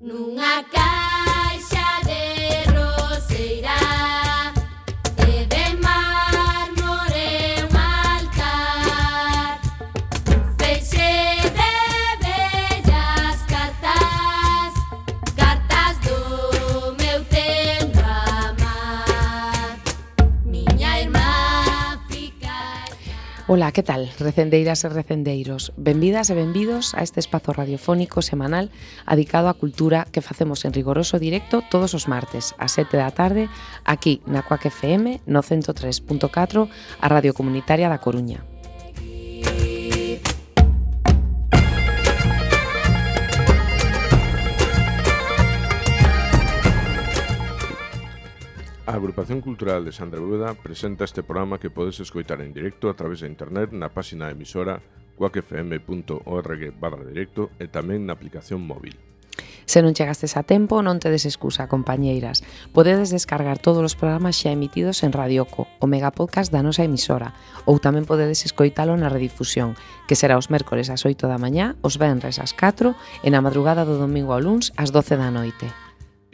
Nunha caixa de roseira e de mármore un altar, feixe de bellas cartas, cartas do meu tempo amar. Miña irmá fica... Ola, que tal, recendeiras e recendeiros? Benvidas e benvidos a este espazo radiofónico semanal dedicado á cultura que facemos en rigoroso directo todos os martes, ás 7 da tarde, aquí na Cuac FM, no 103.4, a Radio Comunitaria da Coruña. A Agrupación Cultural de Sandra Bóveda presenta este programa que podes escoitar en directo a través de internet na páxina da emisora cuacfm.org/directo e tamén na aplicación móvil. Se non chegastes a tempo, non tedes excusa, compañeiras. Podedes descargar todos os programas xa emitidos en Radioco, o megapodcast da nosa emisora, ou tamén podedes escoitalo na redifusión, que será os mércores ás 8 da mañá, os venres ás 4 e na madrugada do domingo ao luns ás 12 da noite.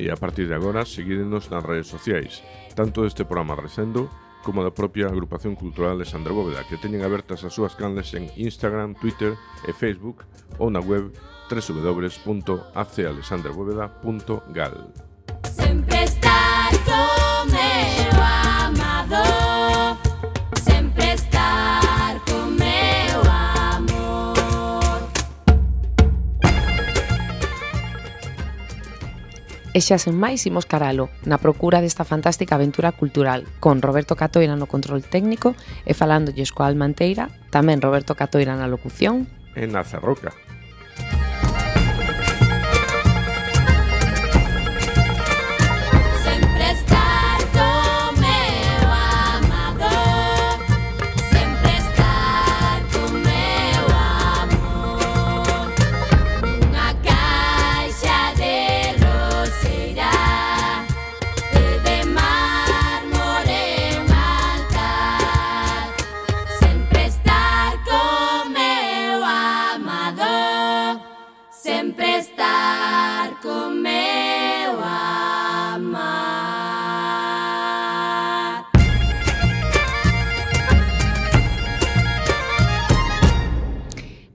E a partir de agora, seguídenos nas redes sociais, tanto deste programa Recendo como da propia Agrupación Cultural de Sandra Bóveda, que teñen abertas as súas canles en Instagram, Twitter e Facebook ou na web www.acalexandrabóveda.gal. Sempre estar co meu amado, sempre estar co meu amor. E xa sen máis imos caralo, na procura desta fantástica aventura cultural, con Roberto Catoira no control técnico e falándolles coa Almanteira, tamén Roberto Catoira na locución. E na Zarroca. Sempre estar co meu amado, sempre estar co meu amor. Nunha caixa de roseira e de mármore un altar, sempre estar co meu amado, sempre estar co meu amar.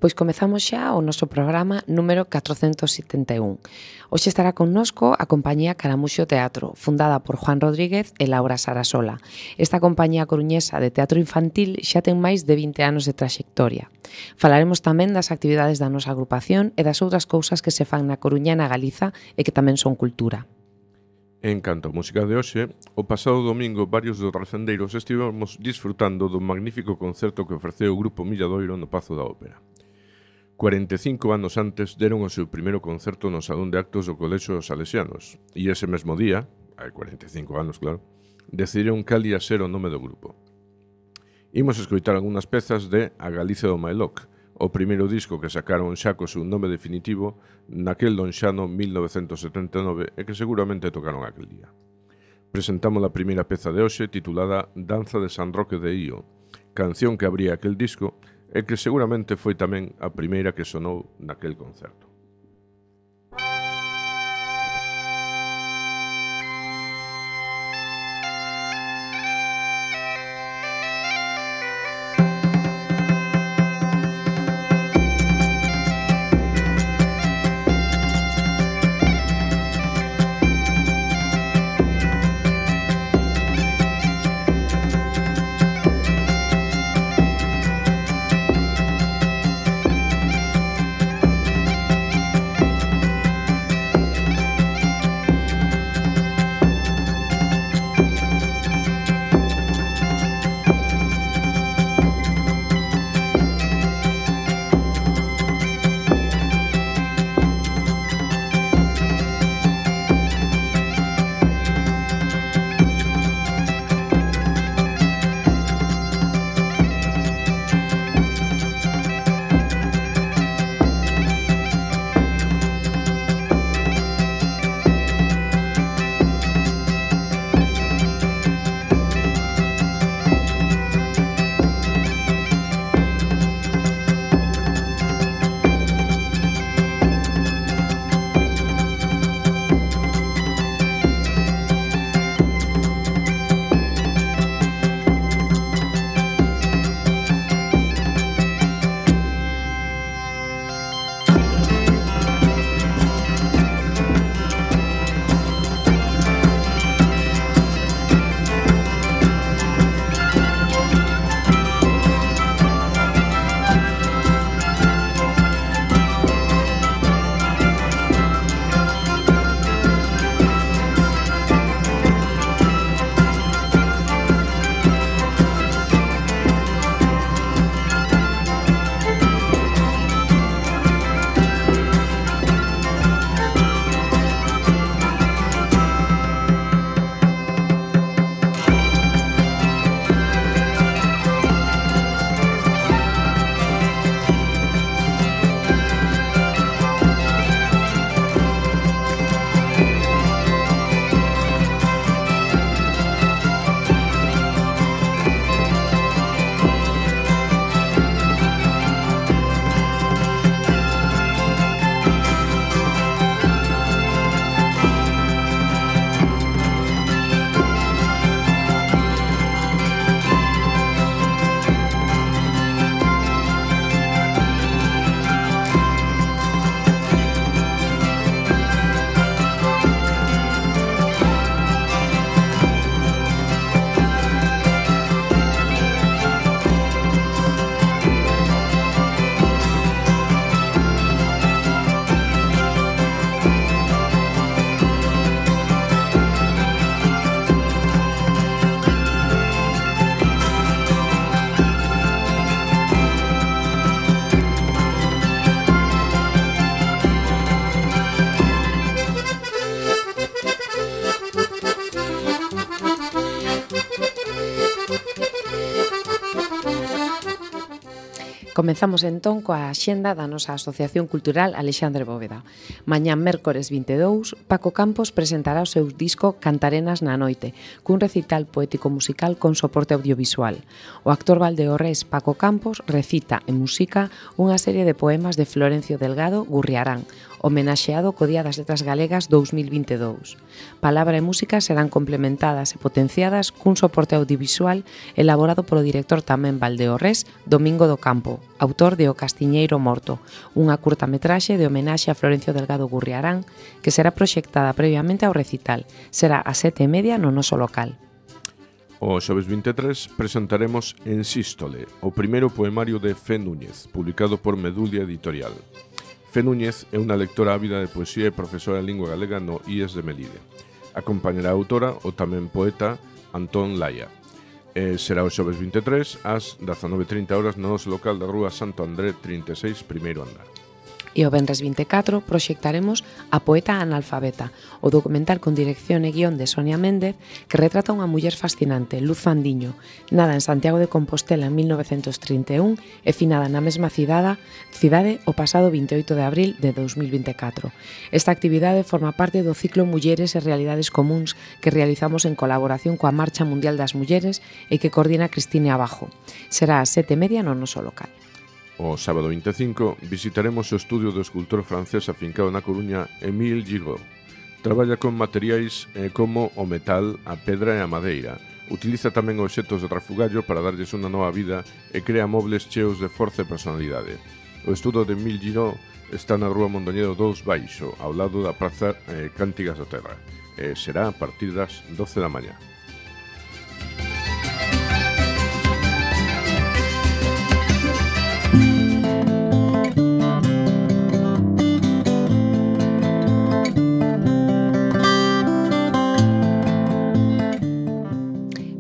Pois comezamos xa o noso programa número 471. Hoxe estará connosco a compañía Caramuxo Teatro, fundada por Juan Rodríguez e Laura Sarasola. Esta compañía coruñesa de teatro infantil xa ten máis de 20 anos de traxectoria. Falaremos tamén das actividades da nosa agrupación e das outras cousas que se fan na Coruña e na Galiza e que tamén son cultura. En canto a música de hoxe, o pasado domingo varios dos recendeiros estivemos disfrutando do magnífico concerto que ofreceu o Grupo Milladoiro no Pazo da Ópera. 45 anos antes deron o seu primeiro concerto no Salón de Actos do Colexio dos Salesianos e ese mesmo día, hai 45 anos claro, decidiron cal ia ser o nome do grupo. Imos escoitar algunhas pezas de A Galicia do Mailoc, o primeiro disco que sacaron xa co seu nome definitivo naquel lonxano 1979 e que seguramente tocaron aquel día. Presentamos a primeira peza de hoxe titulada Danza de San Roque de Ío, canción que abría aquel disco e que seguramente foi tamén a primeira que sonou naquel concerto. Comezamos entón coa axenda da nosa Asociación Cultural Alexandre Bóveda. Mañá mércores 22, Paco Campos presentará o seu disco Cantarenas na noite, cun recital poético-musical con soporte audiovisual. O actor valdeorrés Paco Campos recita en música unha serie de poemas de Florencio Delgado Gurriarán, homenaxeado co Día das Letras Galegas 2022. Palabra e música serán complementadas e potenciadas cun soporte audiovisual elaborado polo director tamén valdeorrés Domingo do Campo, autor de O Castiñeiro Morto, unha curtametraxe de homenaxe a Florencio Delgado Gurriarán que será proxectada previamente ao recital. Será ás 7:30 no noso local. O xoves 23 presentaremos En Sístole, o primeiro poemario de Fe Núñez, publicado por Medulia Editorial. Fe Núñez é unha lectora ávida de poesía e profesora de lingua galega no IES de Melide. Acompañará a autora o tamén poeta Antón Laia. Será o xoves 23 ás 19:30 horas no noso local da Rúa Santo André 36, primeiro andar. E o venres 24 proxectaremos A poeta analfabeta, o documental con dirección e guión de Sonia Méndez que retrata unha muller fascinante, Luz Fandiño, nada en Santiago de Compostela en 1931 e finada na mesma cidade o pasado 28 de abril de 2024. Esta actividade forma parte do ciclo Mulleres e Realidades Comúns que realizamos en colaboración coa Marcha Mundial das Mulleres e que coordina Cristine Abajo. Será ás 7:30 no noso local. O sábado 25 visitaremos o estudio do escultor francés afincado na Coruña Émile Giraud. Traballa con materiais como o metal, a pedra e a madeira. Utiliza tamén obxetos de refugallo para darlles unha nova vida e crea mobles cheos de forza e personalidade. O estudo de Émile Giraud está na Rúa Mondoñedo 2 Baixo, ao lado da Praza Cántigas da Terra. Será a partir das 12 da mañá.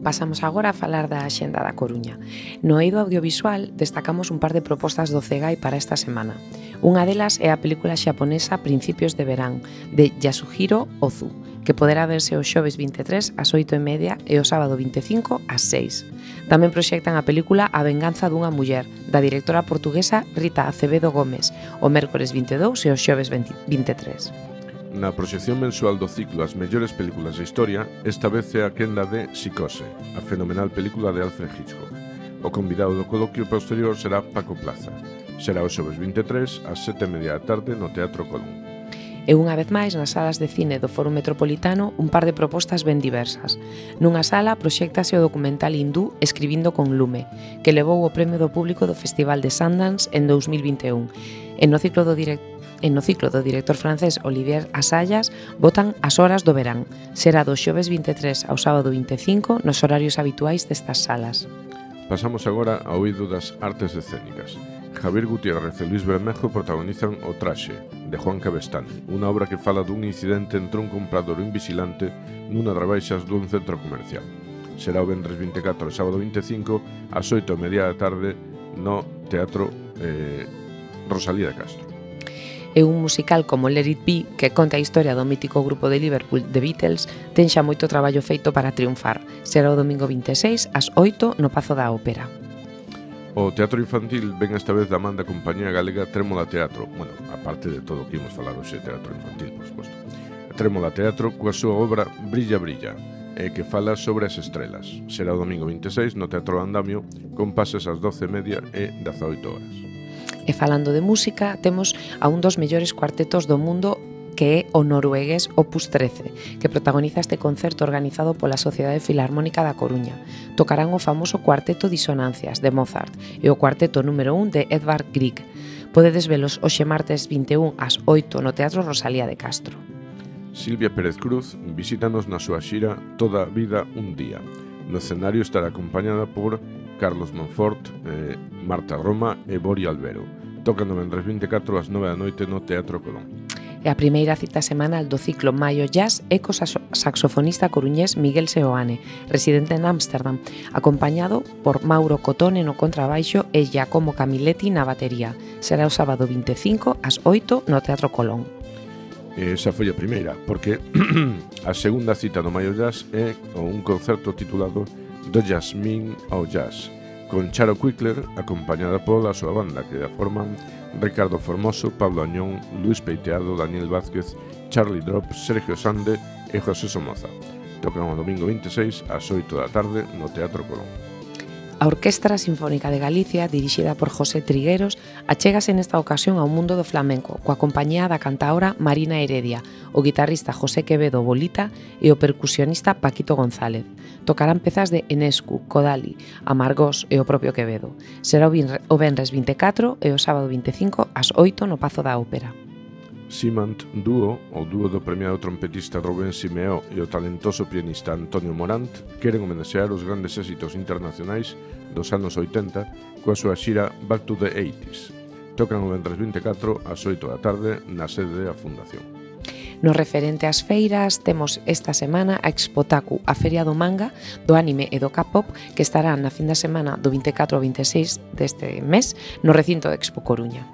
Pasamos agora a falar da axenda da Coruña. No eido audiovisual destacamos un par de propostas do CEGAI para esta semana. Unha delas é a película xaponesa Principios de Verán, de Yasuhiro Ozu, que poderá verse o xoves 23 ás 8:30 e o sábado 25 ás 6. Tamén proxectan a película A venganza dunha muller, da directora portuguesa Rita Acevedo Gómez, o mércores 22 e o xoves 23. Na proxección mensual do ciclo As mellores películas da historia, esta vez é a quenda de Psicose, a fenomenal película de Alfred Hitchcock. O convidado do coloquio posterior será Paco Plaza. Será o xoves 23 ás 7:30 da tarde no Teatro Colón. E unha vez máis, nas salas de cine do Foro Metropolitano, un par de propostas ben diversas. Nunha sala proxéctase o documental hindú Escribindo con lume, que levou o premio do público do Festival de Sundance en 2021. E no ciclo do director francés Olivier Assayas botan As horas do verán. Será do xoves 23 ao sábado 25 nos horarios habituais destas salas. Pasamos agora ao eido das artes escénicas. Javier Gutiérrez e Luis Bermejo protagonizan O traxe, de Juan Cabestany, unha obra que fala dun incidente entre un comprador e un vigilante nunha das rebaixas dun centro comercial. Será o venres 24 e sábado 25 ás 8:30 da tarde no Teatro Rosalía de Castro. E un musical como Let It Be, que conta a historia do mítico grupo de Liverpool The Beatles, ten xa moito traballo feito para triunfar. Será o domingo 26 ás 8 no Pazo da Ópera. O teatro infantil ven esta vez da man da compañía galega Trémola Teatro. Bueno, aparte de todo o que imos falar hoxe, teatro infantil, por suposto. Trémola Teatro coa súa obra Brilla, Brilla, que fala sobre as estrelas. Será o domingo 26 no Teatro Andamio, con pases ás 12:30 e 18 horas. E falando de música, temos a un dos mellores cuartetos do mundo, que é o noruegués Opus 13, que protagoniza este concerto organizado pola Sociedade Filarmónica da Coruña. Tocarán o famoso Cuarteto Disonancias, de Mozart, e o Cuarteto número 1 de Edvard Grieg. Podedes velos hoxe martes 21 ás 8 no Teatro Rosalía de Castro. Silvia Pérez Cruz visítanos na súa xira Toda a vida un día. No escenario estará acompañada por Carlos Monfort, Marta Roma e Bori Albero. Tocan no venres 24 ás 9 da noite no Teatro Colón. E a primeira cita semanal do ciclo Maio Jazz é co saxofonista coruñés Miguel Seoane, residente en Ámsterdam, acompañado por Mauro Cotone no contrabaixo e Giacomo Camilletti na batería. Será o sábado 25 ás 8 no Teatro Colón. Esa foi a primeira, porque a segunda cita no Maio Jazz é un concerto titulado Do Jasmine ao Jazz, con Charo Quickler acompañada pola súa banda que a forman Ricardo Formoso, Pablo Añón, Luis Peiteado, Daniel Vázquez, Charlie Drop, Sergio Sande e José Somoza. Tocan o domingo 26 ás 8 da tarde no Teatro Colón. A Orquestra Sinfónica de Galicia, dirixida por José Trigueros, achégase nesta ocasión ao mundo do flamenco, coa compañía da cantaora Marina Heredia, o guitarrista José Quevedo Bolita e o percusionista Paquito González. Tocarán pezas de Enescu, Kodali, Amargós e o propio Quevedo. Será o venres 24 e o sábado 25 ás 8 no Pazo da Ópera. Simant Dúo, o dúo do premiado trompetista Rubén Simeó e o talentoso pianista Antonio Morant, queren homenaxear os grandes éxitos internacionais dos anos 80 coa súa xira Back to the 80s. Tocan o venres 24 ás 8 da tarde na sede da Fundación. No referente ás feiras, temos esta semana a Expotaku, a Feria do Manga, do Anime e do K-pop, que estará na fin da semana do 24 ao 26 deste mes no recinto de Expo Coruña.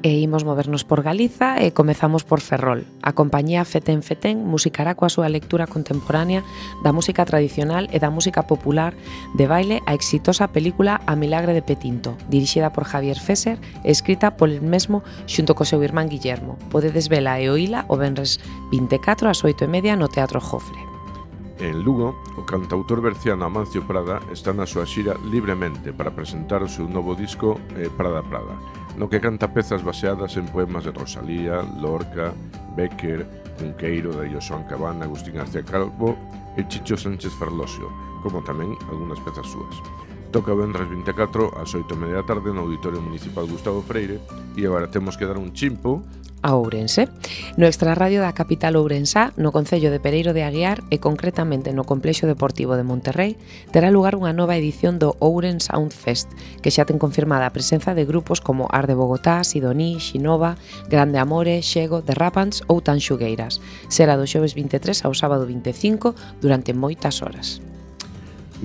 E imos movernos por Galiza e comezamos por Ferrol. A compañía Fetén Fetén musicará coa súa lectura contemporánea da música tradicional e da música popular de baile a exitosa película A Milagre de Petinto, dirixida por Javier Fesser e escrita polo mesmo xunto co seu irmán Guillermo. Podedes vela e oíla o venres 24 ás 8:30 no Teatro Jofre. En Lugo, o cantautor berciano Amancio Prada está na súa xira Libremente para presentar o seu novo disco Prada Prada, no que canta pezas baseadas en poemas de Rosalía, Lorca, Bécquer, Cunqueiro, de Josuán Cabana, Agustín García Calvo e Chicho Sánchez Ferlosio, como tamén algunhas pezas súas. Toca o venres 24 ás 8:30 da tarde no Auditorio Municipal Gustavo Freire e agora temos que dar un chimpo a Ourense. No extrarradio da capital ourensá, no concello de Pereiro de Aguiar e concretamente no Complexo Deportivo de Monterrey, terá lugar unha nova edición do Ouren Sound Fest, que xa ten confirmada a presenza de grupos como Ar de Bogotá, Sidoní, Xinova, Grande Amore, Xego, The Rapans ou Tanxugueiras. Será do xoves 23 ao sábado 25 durante moitas horas.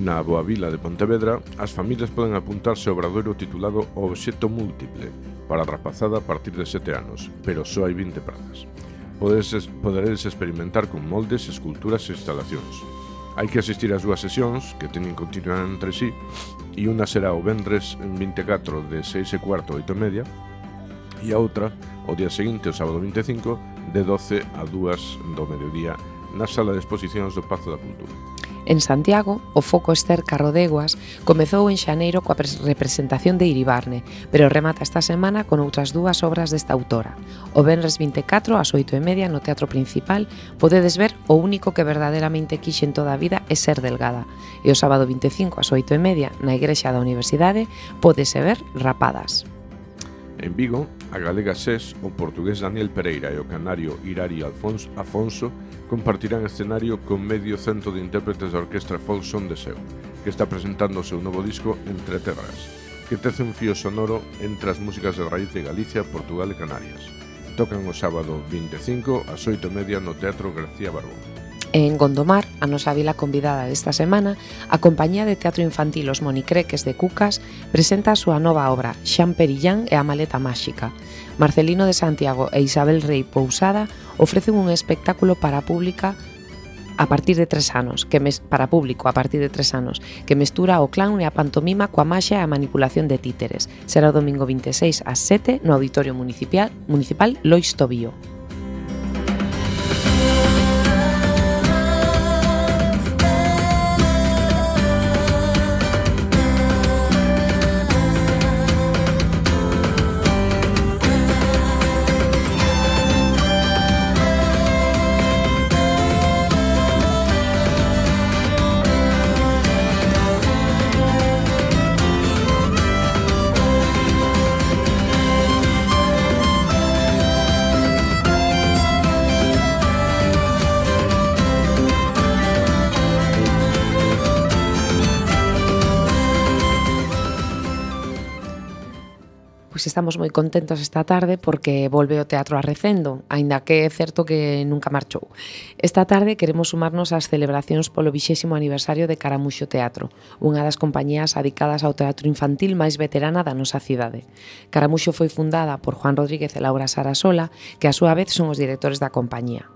Na Boa Vila de Pontevedra, as familias poden apuntarse ao obradoiro titulado O Obxecto Múltiple, para a rapazada a partir de 7 anos, pero só hai 20 prazas. Poderedes experimentar con moldes, esculturas e instalacións. Hai que asistir ás dúas sesións, que teñen continuidade entre sí, e unha será o venres 24 de 6:15 a 8:30, e a outra, o día seguinte, o sábado 25, de 12 a 2 do mediodía, na sala de exposicións do Pazo da Cultura. En Santiago, o Foco Ester Carrodeguas comezou en xaneiro coa representación de Iribarne, pero remata esta semana con outras dúas obras desta autora. O venres 24 ás 8:30 no Teatro Principal podedes ver O único que verdadeiramente quixen toda a vida é ser delgada, e o sábado 25 ás 8:30 na Igrexa da Universidade pódese ver Rapadas. En Vigo, a galega SES, o portugués Daniel Pereira e o canario Irari Afonso compartirán escenario con medio cento de intérpretes da orquestra Folk Son de Seu, que está presentando o seu novo disco Entre Terras, que tece un fío sonoro entre as músicas de raíz de Galicia, Portugal e Canarias. Tocan o sábado 25 ás 8:30 no Teatro García Barbón. En Gondomar, a nosa vila convidada desta semana, a compañía de teatro infantil Os Monicreques de Cucas presenta a súa nova obra Xan Perillán e a maleta máxica. Marcelino de Santiago e Isabel Rei Pousada ofrecen un espectáculo para público a partir de 3 anos, que mestura o clown e a pantomima coa maxia e a manipulación de títeres. Será o domingo 26 ás 7 no Auditorio Municipal Lois Tobío. estamos moi contentos esta tarde porque volve o Teatro Arrecendo, aínda que é certo que nunca marchou. Esta tarde queremos sumarnos ás celebracións polo 20º aniversario de Caramuxo Teatro, unha das compañías dedicadas ao teatro infantil máis veterana da nosa cidade. Caramuxo foi fundada por Juan Rodríguez e Laura Sarasola, que a súa vez son os directores da compañía.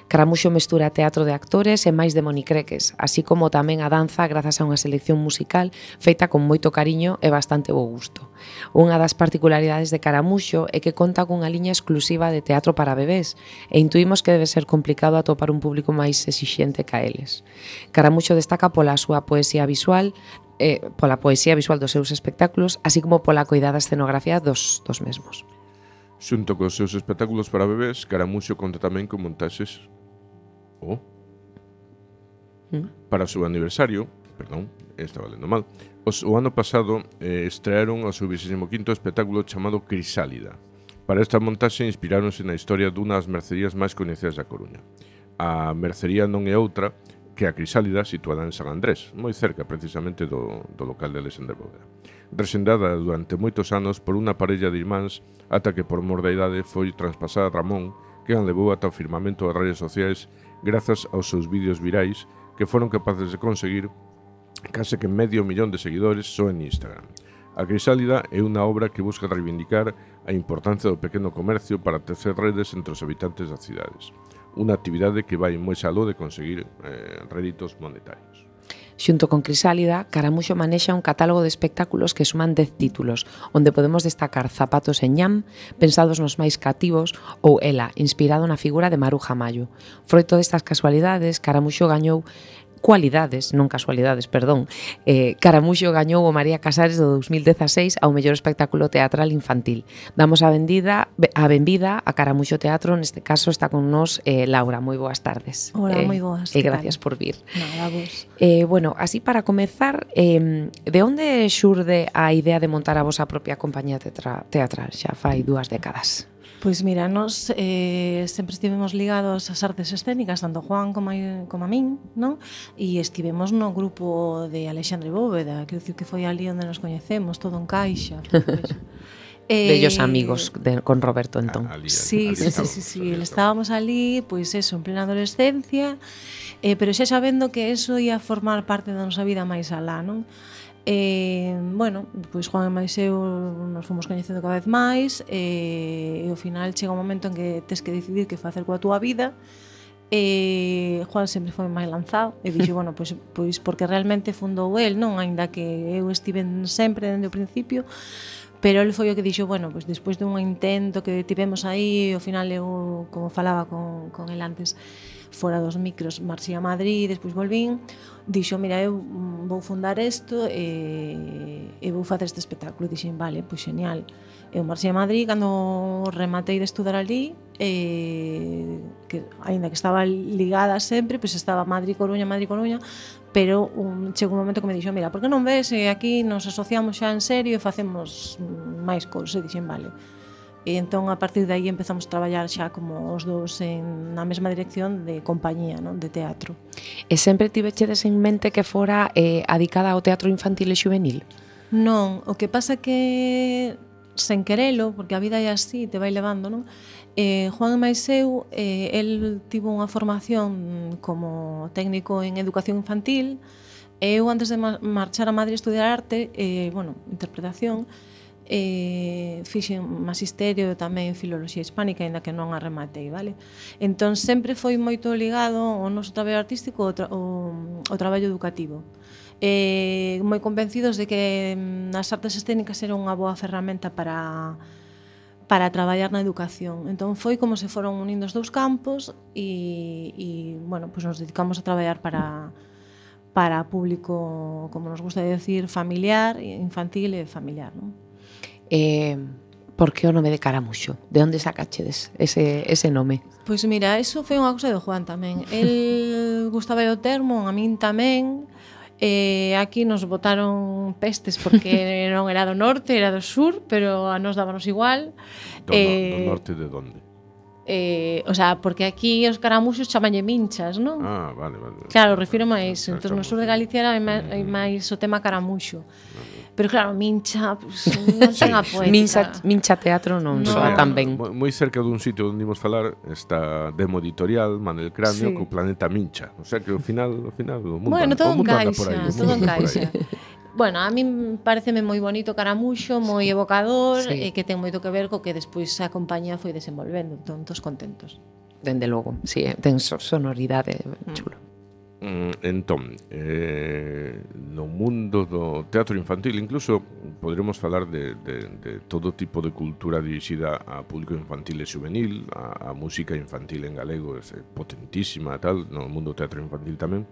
Caramuxo mestura teatro de actores e máis de monicreques, así como tamén a danza grazas a unha selección musical feita con moito cariño e bastante bo gusto. Unha das particularidades de Caramuxo é que conta cunha liña exclusiva de teatro para bebés e intuímos que debe ser complicado atopar un público máis exixente ca eles. Caramuxo destaca pola súa poesía visual dos seus espectáculos, así como pola coidada escenografía dos mesmos. Xunto cos seus espectáculos para bebés, Caramuxo conta tamén con montaxes para o seu aniversario, estaba lendo mal. O ano pasado estrearon o seu 25º espectáculo chamado Crisálida. Para esta montaxe inspiráronse na historia dunha das mercerías máis coñecidas da Coruña. A mercería non é outra que a Crisálida, situada en San Andrés, moi cerca precisamente do local de Alexandre Bóveda. Resendada durante moitos anos por unha parella de irmáns ata que por mor da idade foi traspasada a Ramón, que a levou ata o firmamento das redes sociais grazas aos seus vídeos virais que foron capaces de conseguir case que medio millón de seguidores só en Instagram. A Crisálida é unha obra que busca reivindicar a importancia do pequeno comercio para tecer redes entre os habitantes das cidades. Unha actividade que vai moi aló de conseguir réditos monetarios. Xunto con Crisálida, Caramuxo manexa un catálogo de espectáculos que suman 10 títulos, onde podemos destacar Zapatos en ñam, pensados nos máis cativos, ou Ela, inspirado na figura de Maruja Mayo. Froito destas casualidades, Caramuxo gañou Caramuxo gañou o María Casares do 2016 ao mellor espectáculo teatral infantil. Damos a benvida a Caramuxo Teatro, neste caso está con nós Laura. Moi boas tardes. Hola, moi boas. E gracias por vir. Nada, vos. Bueno, así para comezar, de onde xurde a idea de montar a vosa propia compañía teatral? Xa fai 2 décadas. Pois mira, nos sempre estivemos ligados ás artes escénicas, tanto Juan como a min, non? E estivemos no grupo de Alexandre Bóveda, que foi ali onde nos coñecemos, todo en caixa. Bellos amigos con Roberto entón. Sí, estábamos ali, pois eso, en plena adolescencia, pero xa sabendo que eso ia formar parte da nosa vida máis alá, non? Bueno, pois Juan e máis eu nos fomos coñecendo cada vez máis e ao final chega un momento en que tes que decidir que facer coa túa vida. Juan sempre foi máis lanzado e dixo, bueno, pois porque realmente fundou el, non? Aínda que eu estive sempre dende o principio, pero ele foi o que dixo, bueno, pois despois dun intento que tivemos aí, ao final eu, como falaba con el antes, fora dos micros, marchei a Madrid, despois volvín, dixo, mira, eu vou fundar isto e vou facer este espectáculo. Dixen, vale, pois genial. Eu marchei a Madrid, cando rematei de estudar ali, que aínda que estaba ligada sempre, pois estaba Madrid-Coruña, pero chegou un momento que me dixo, mira, por que non ves, aquí nos asociamos xa en serio e facemos máis cousas. E dixen, vale. E entón, a partir de aí, empezamos a traballar xa como os dous na mesma dirección de compañía, non? De teatro. E sempre tivechedes en mente que fora adicada ao teatro infantil e xuvenil? Non, o que pasa que sen querelo, porque a vida é así, te vai levando, non? Juan e máis eu, el tivo unha formación como técnico en educación infantil, e eu antes de marchar a Madrid a estudiar arte, interpretación, fixen magisterio tamén filoloxía hispánica, aínda que non a rematei, vale? Entón sempre foi moito ligado ao noso traballo artístico ao traballo educativo. Moi convencidos de que as artes escénicas eran unha boa ferramenta para traballar na educación. Entón foi como se foron unindo os dous campos e bueno, pues nos dedicamos a traballar para público, como nos gusta decir, familiar, infantil e familiar, non? Por que o nome de Caramuxo? De onde sacachedes ese nome? Pois mira, eso foi unha cousa de Juan tamén. El gustaba o termo, a min tamén. Aquí nos botaron pestes porque non era do norte, era do sur, pero a nos dábanos igual. Do norte de onde? O sea, porque aquí os caramuxos chamanlle minchas, non? Ah, vale, vale. Claro, refiro máis. Ah, Entón, no estamos- sur de Galicia era máis o tema caramuxo. Pero claro, mincha, pues, non ten a poética. Mincha teatro non No. soa tan ben. Moi cerca dun sitio onde imos falar está Demo Editorial, Manel Cráneo, Sí. co Planeta Mincha. O sea que ao final o mundo, Bueno, todo o mundo anda por encaixa, aí. o todo mundo anda por aí. encaixa. Bueno, a min pareceme moi bonito caramuxo, moi evocador, Sí. e que ten moito que ver co que despois a compañía foi desenvolvendo, entón todos contentos. Dende logo, sí, ten sonoridade chulo. Entón, no mundo do teatro infantil, incluso podremos falar de todo tipo de cultura dirixida a público infantil e juvenil, a música infantil en galego é potentísima, tal, no mundo do teatro infantil tamén.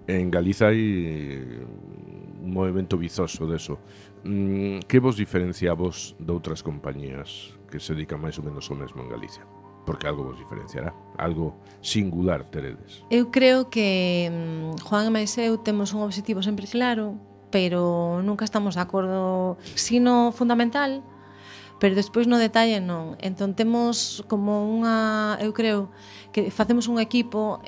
En Galiza hai un movimento vizoso deso. Que vos diferencia a vos de outras compañías que se dedican máis ou menos ao mesmo en Galicia? Porque algo vos diferenciará, algo singular teredes. Eu creo que Juan e máis eu temos un obxectivo sempre claro, pero nunca estamos de acordo sino fundamental, pero despois no detalle non. Entón temos como unha, eu creo que facemos un equipo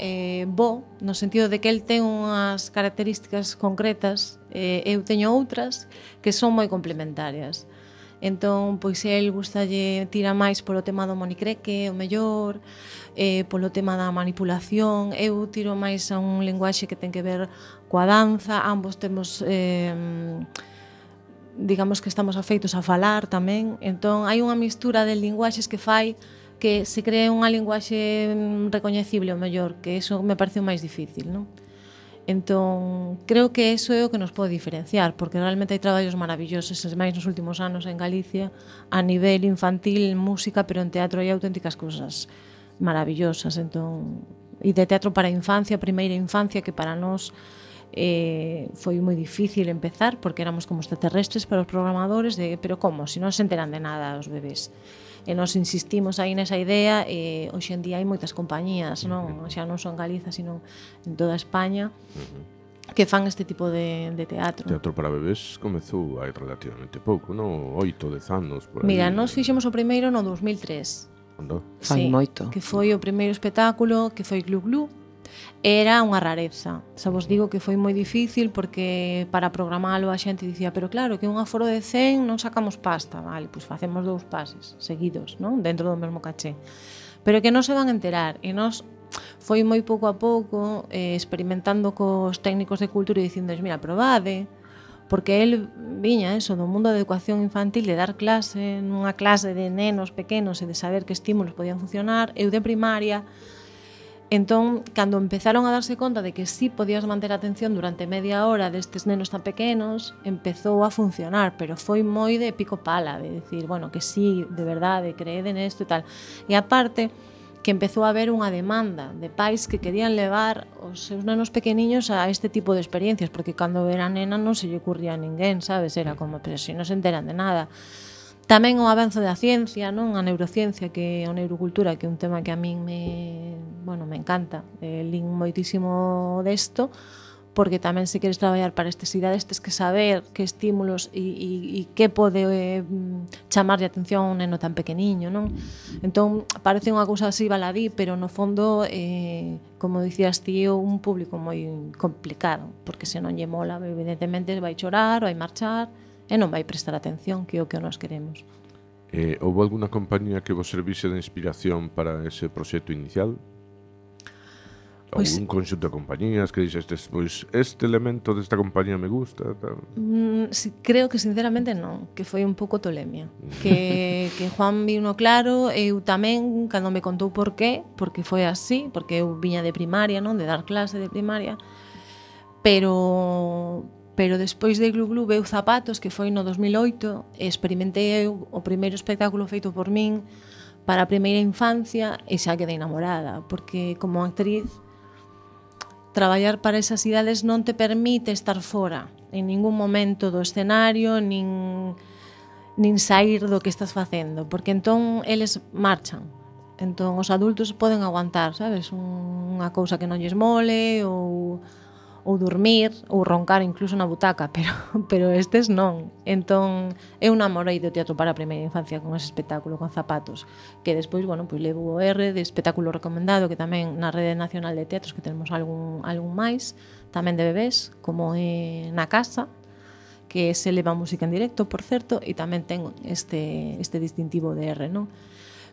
bo, no sentido de que el ten unhas características concretas, eu teño outras que son moi complementarias. Entón, pois el gustalle tira máis polo tema do monicreque, o mellor, polo tema da manipulación, eu tiro máis a un linguaxe que ten que ver coa danza, ambos temos digamos que estamos afeitos a falar tamén, entón hai unha mistura de linguaxes que fai que se cree unha linguaxe recoñecible o mellor, que eso me parece o máis difícil, non? Entón, creo que eso é o que nos pode diferenciar, porque realmente hai traballos maravillosos, máis nos últimos anos en Galicia, a nivel infantil, música, pero en teatro hai auténticas cousas maravillosas, entón, e de teatro para a infancia, primeira infancia, que para nós foi moi difícil empezar, porque éramos como extraterrestres para os programadores, pero como, se non se enteran de nada os bebés. E nos insistimos aí nesa idea, e hoxe en día hai moitas compañías, non? Xa non son en Galiza, sino en toda España, que fan este tipo de teatro. Teatro para bebés comezou hai relativamente pouco, non? 8, 10 anos por aí. Mira, nós fixemos o primeiro no 2003. Andou. Fai moito. Que foi o primeiro espectáculo, que foi Glu Glu. Era unha rareza. Xa vos digo que foi moi difícil porque para programalo a xente dicía, pero claro, que un aforo de 100 non sacamos pasta, vale, pois facemos 2 pases seguidos, non? Dentro do mesmo caché. Pero que non se van a enterar, e nós foi moi pouco a pouco experimentando cos técnicos de cultura e dicindo, mira, probade, porque el viña eso do mundo da educación infantil, de dar clase nunha clase de nenos pequenos e de saber que estímulos podían funcionar, eu de primaria. Entón, cando empezaron a darse conta de que sí podías manter a atención durante media hora destes nenos tan pequenos, empezou a funcionar, pero foi moi de pico pala, de decir, bueno, que sí, de verdade, creede nesto e tal. E aparte, que empezou a haber unha demanda de pais que querían levar os seus nenos pequeniños a este tipo de experiencias, porque cando era nena non se lle ocurría a ninguén, sabes? Era como, pero se non se enteran de nada. Tamén o avanzo da ciencia, non? A neurociencia, que é a neurocultura, que é un tema que a min me encanta. Lín moitísimo desto, porque tamén se queres traballar para estas idades tes que saber que estímulos e que pode chamarlle a atención a un neno tan pequeniño, non? Entón, parece unha cousa así baladí, pero no fondo, como dicías ti, é un público moi complicado, porque se non lle mola, evidentemente vai chorar, vai marchar, e non vai prestar atención, que é o que nós queremos. Houve alguna compañía que vos servise de inspiración para ese proxecto inicial? Ou un conxunto de compañías que dixestes, pois este elemento desta compañía me gusta, tal. Creo que sinceramente non, que foi un pouco tolemia, que Juan vino claro, eu tamén cando me contou por qué, porque foi así, porque eu viña de primaria, non, de dar clase de primaria, pero despois de Glu Glu veu Zapatos, que foi no 2008, e experimentei eu o primeiro espectáculo feito por min para a primeira infancia e xa quedei enamorada, porque como actriz traballar para esas idades non te permite estar fora en ningún momento do escenario, nin sair do que estás facendo, porque entón eles marchan. Entón os adultos poden aguantar, sabes, unha cousa que non lles mole ou ou dormir, ou roncar incluso na butaca, pero estes non. Entón, eu namorei do teatro para a primeira infancia con ese espectáculo con zapatos, que despois, bueno, pois levo o R de espectáculo recomendado, que tamén na Rede Nacional de Teatros, que tenemos algún máis, tamén de bebés, como é Na Casa, que se leva música en directo, por certo, e tamén ten este distintivo de R, non?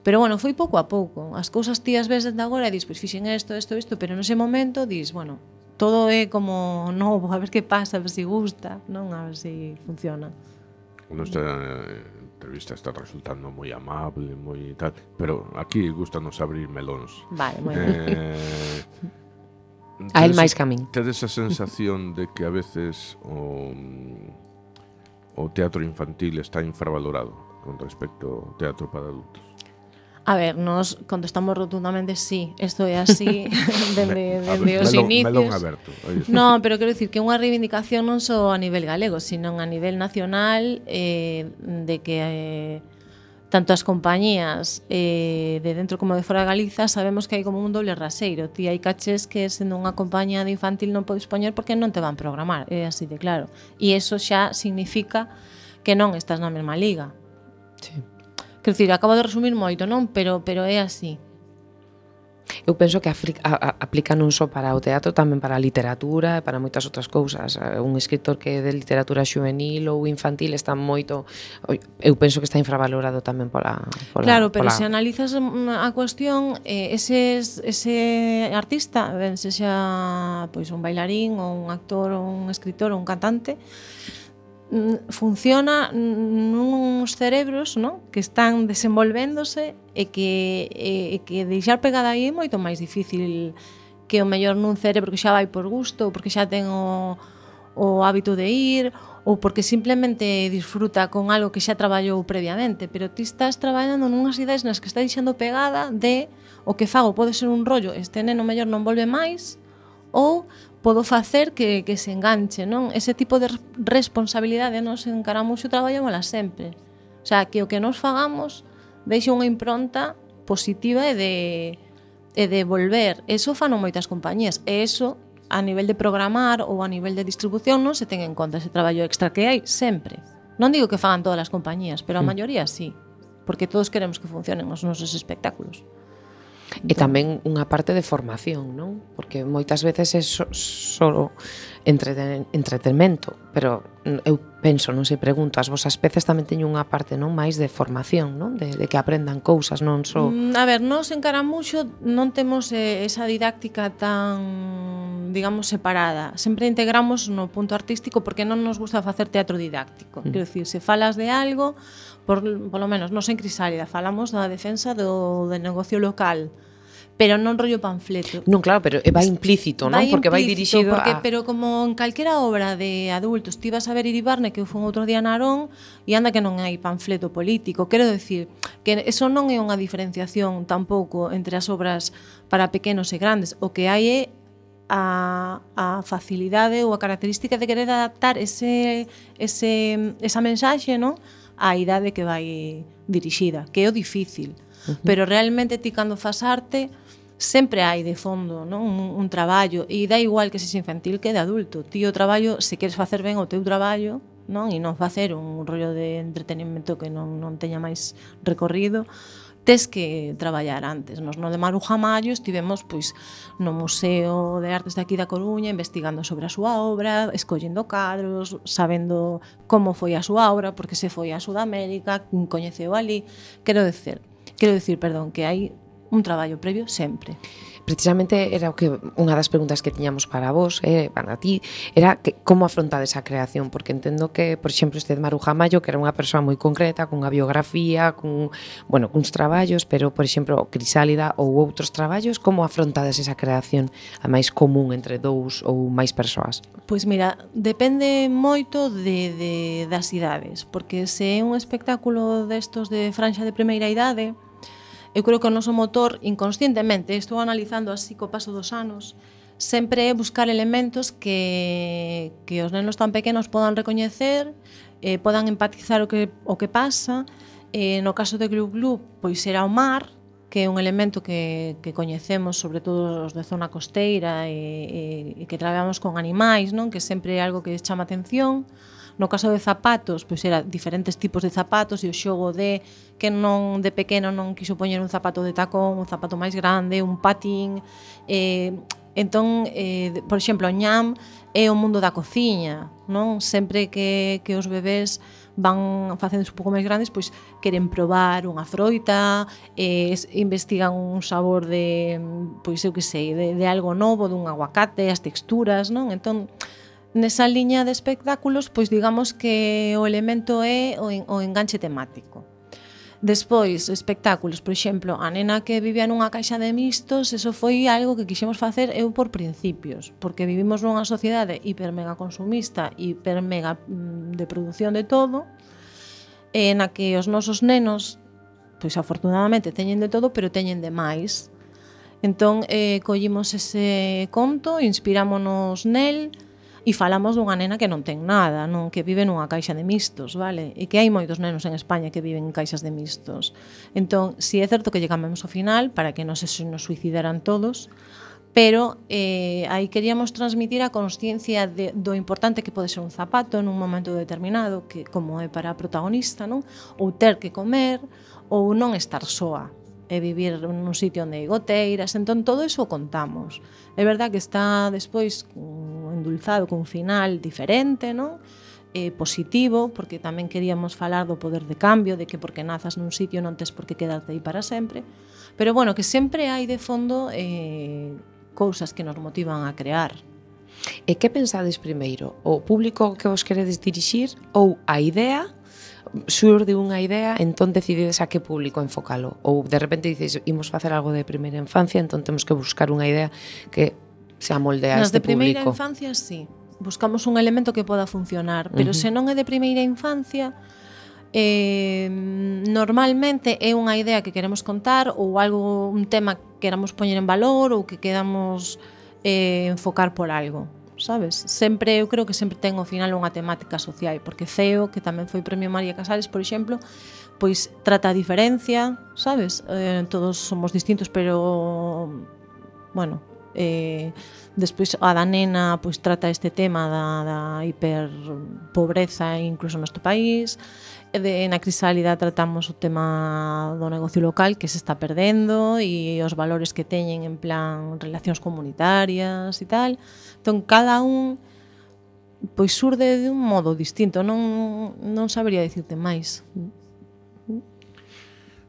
Pero bueno, foi pouco a pouco. As cousas ti as ves desde agora e dis, pois fixen isto, pero nese momento dis, bueno, todo é como novo, a ver que pasa, a ver se gusta, non? A ver se funciona. Nuestra entrevista está resultando moi amable, moi tal, pero aquí gustanos abrir melóns. Vale, moi ben. A el máis que a min. Tedes a sensación de que a veces o teatro infantil está infravalorado con respecto ao teatro para adultos? A ver, nos contestamos rotundamente sí, isto é así dende os inicios. Melón aberto. No, pero quero dicir que é unha reivindicación non só a nivel galego, sino a nivel nacional, de que tanto as compañías de dentro como de fora de Galiza sabemos que hai como un doble raseiro. Ti hai cachés que sendo unha compañía de infantil non podes poñer porque non te van programar, é así de claro. E iso xa significa que non estás na mesma liga. Sí. Quero dicir, acabo de resumir moito, non? Pero é así. Eu penso que aplica non só para o teatro, tamén para a literatura e para moitas outras cousas. Un escritor que é de literatura xuvenil ou infantil está moito... Eu penso que está infravalorado tamén pola claro, pero se analizas a cuestión, ese artista, ben sexa pois un bailarín ou un actor ou un escritor ou un cantante, funciona nuns cerebros, non? Que están desenvolvéndose e que deixar pegada aí é moito máis difícil que o mellor nun cerebro que xa vai por gusto, ou porque xa ten o hábito de ir, ou porque simplemente disfruta con algo que xa traballou previamente, pero ti estás traballando nunhas ideas nas que está deixando pegada de o que fago pode ser un rollo, este neno mellor non volve máis, ou podo facer que se enganche, non? Ese tipo de responsabilidade nos encaramos e traballámola sempre. O sea, que o que nos fagamos deixe unha impronta positiva e de volver. Eso fan moitas compañías. E eso, a nivel de programar ou a nivel de distribución, non se ten en conta ese traballo extra que hai sempre. Non digo que fagan todas as compañías, pero a maioría sí. Porque todos queremos que funcionen os nosos espectáculos. E tamén unha parte de formación, non? Porque moitas veces é só entretenimento, pero eu penso, non sei, pregunto, as vosas peces tamén teñen unha parte non máis de formación, non? De que aprendan cousas, non só... A ver, nos en Caramuxo non temos esa didáctica tan, digamos, separada. Sempre integramos no punto artístico porque non nos gusta facer teatro didáctico. Quero dicir, se falas de algo, por lo menos nos en Crisálida falamos da defensa do negocio local, pero non rollo panfleto. Non, claro, pero vai implícito, non? Porque vai dirixido a... Pero como en calquera obra de adultos, ti vas a ver Iribarne, que eu fui outro día na Arón, e anda que non hai panfleto político. Quero decir que eso non é unha diferenciación tampouco entre as obras para pequenos e grandes. O que hai é a facilidade ou a característica de querer adaptar esa mensaxe, non? A idade que vai dirixida, que é o difícil. Pero realmente ti cando fas arte sempre hai de fondo, non? Un traballo, e dá igual que sexa infantil que de adulto. Ti o traballo, se queres facer ben o teu traballo, non? E non facer un rollo de entretenimento que non teña máis recorrido, tes que traballar antes. Nos no de Maruja Mallo estivemos pois no Museo de Artes de aquí da Coruña investigando sobre a súa obra, escollendo cadros, sabendo como foi a súa obra, porque se foi a Sudamérica, coñeceu ali. Quero decir, que hai un traballo previo sempre. Precisamente era o que unha das preguntas que tiñamos para vos, para ti, era que como afrontades a creación, porque entendo que, por exemplo, este de Maruja Mallo, que era unha persoa moi concreta, cunha biografía, cuns traballos, pero, por exemplo, Crisálida ou outros traballos, como afrontades esa creación a máis común entre dous ou máis persoas? Pois mira, depende moito das idades, porque se é un espectáculo destos de franxa de primeira idade, eu creo que o noso motor, inconscientemente, estou analizando así co paso dos anos, sempre é buscar elementos que os nenos tan pequenos podan recoñecer, podan empatizar o que pasa. No caso de Glup Glup, pois era o mar, que é un elemento que coñecemos, sobre todo os de zona costeira e que traballamos con animais, non? Que sempre é algo que chama atención. No caso de zapatos, pois era diferentes tipos de zapatos e o xogo de que non de pequeno non quiso poñer un zapato de tacón, un zapato máis grande, un patín. Entón, por exemplo, o ñam é o mundo da cociña, non? Sempre que os bebés van facendo un pouco máis grandes, pois queren probar unha froita, investigan un sabor de, pois eu que sei, de algo novo, dun aguacate, as texturas, non? Entón, nesa liña de espectáculos, pois digamos que o elemento é o enganche temático. Despois, espectáculos, por exemplo, a nena que vivía nunha caixa de mistos, eso foi algo que quixemos facer eu por principios, porque vivimos nunha sociedade hiper mega consumista, hiper mega de produción de todo, na que os nosos nenos, pois afortunadamente teñen de todo, pero teñen de máis. Entón, collimos ese conto, inspirámonos nel, e falamos dunha nena que non ten nada, non, que vive nunha caixa de mistos, vale? E que hai moitos nenos en España que viven en caixas de mistos. Entón, si é certo que llegamos ao final para que non se nos suicidaran todos, pero aí queríamos transmitir a consciencia do importante que pode ser un zapato nun momento determinado, que como é para a protagonista, non? Ou ter que comer, ou non estar soa, e vivir nun sitio onde hai goteiras. Entón, todo iso o contamos. É verdad que está despois endulzado cun final diferente, non? Positivo, porque tamén queríamos falar do poder de cambio, de que porque nazas nun sitio non tes por que quedarte aí para sempre, pero bueno, que sempre hai de fondo cousas que nos motivan a crear. E que pensades primeiro? O público que vos queredes dirixir ou a idea? Surde unha idea, entón decidides a que público enfocalo? Ou de repente dices, imos facer algo de primeira infancia, entón temos que buscar unha idea que se amolde a este público? Nas de primeira infancia, sí. Buscamos un elemento que poda funcionar, pero se non é de primeira infancia, normalmente é unha idea que queremos contar ou algo, un tema que queramos poñer en valor ou que queramos enfocar por algo, sabes? Sempre, eu creo que sempre ten ao final unha temática social, porque CEO, que tamén foi Premio María Casares, por exemplo, pois trata a diferencia, sabes? Todos somos distintos, pero bueno, despois a da nena pois trata este tema da hiperpobreza incluso no nosto país. Na Crisálida tratamos o tema do negocio local que se está perdendo e os valores que teñen en plan relacións comunitarias e tal. Entón, cada un pois surde de un modo distinto, non sabería dicirte máis.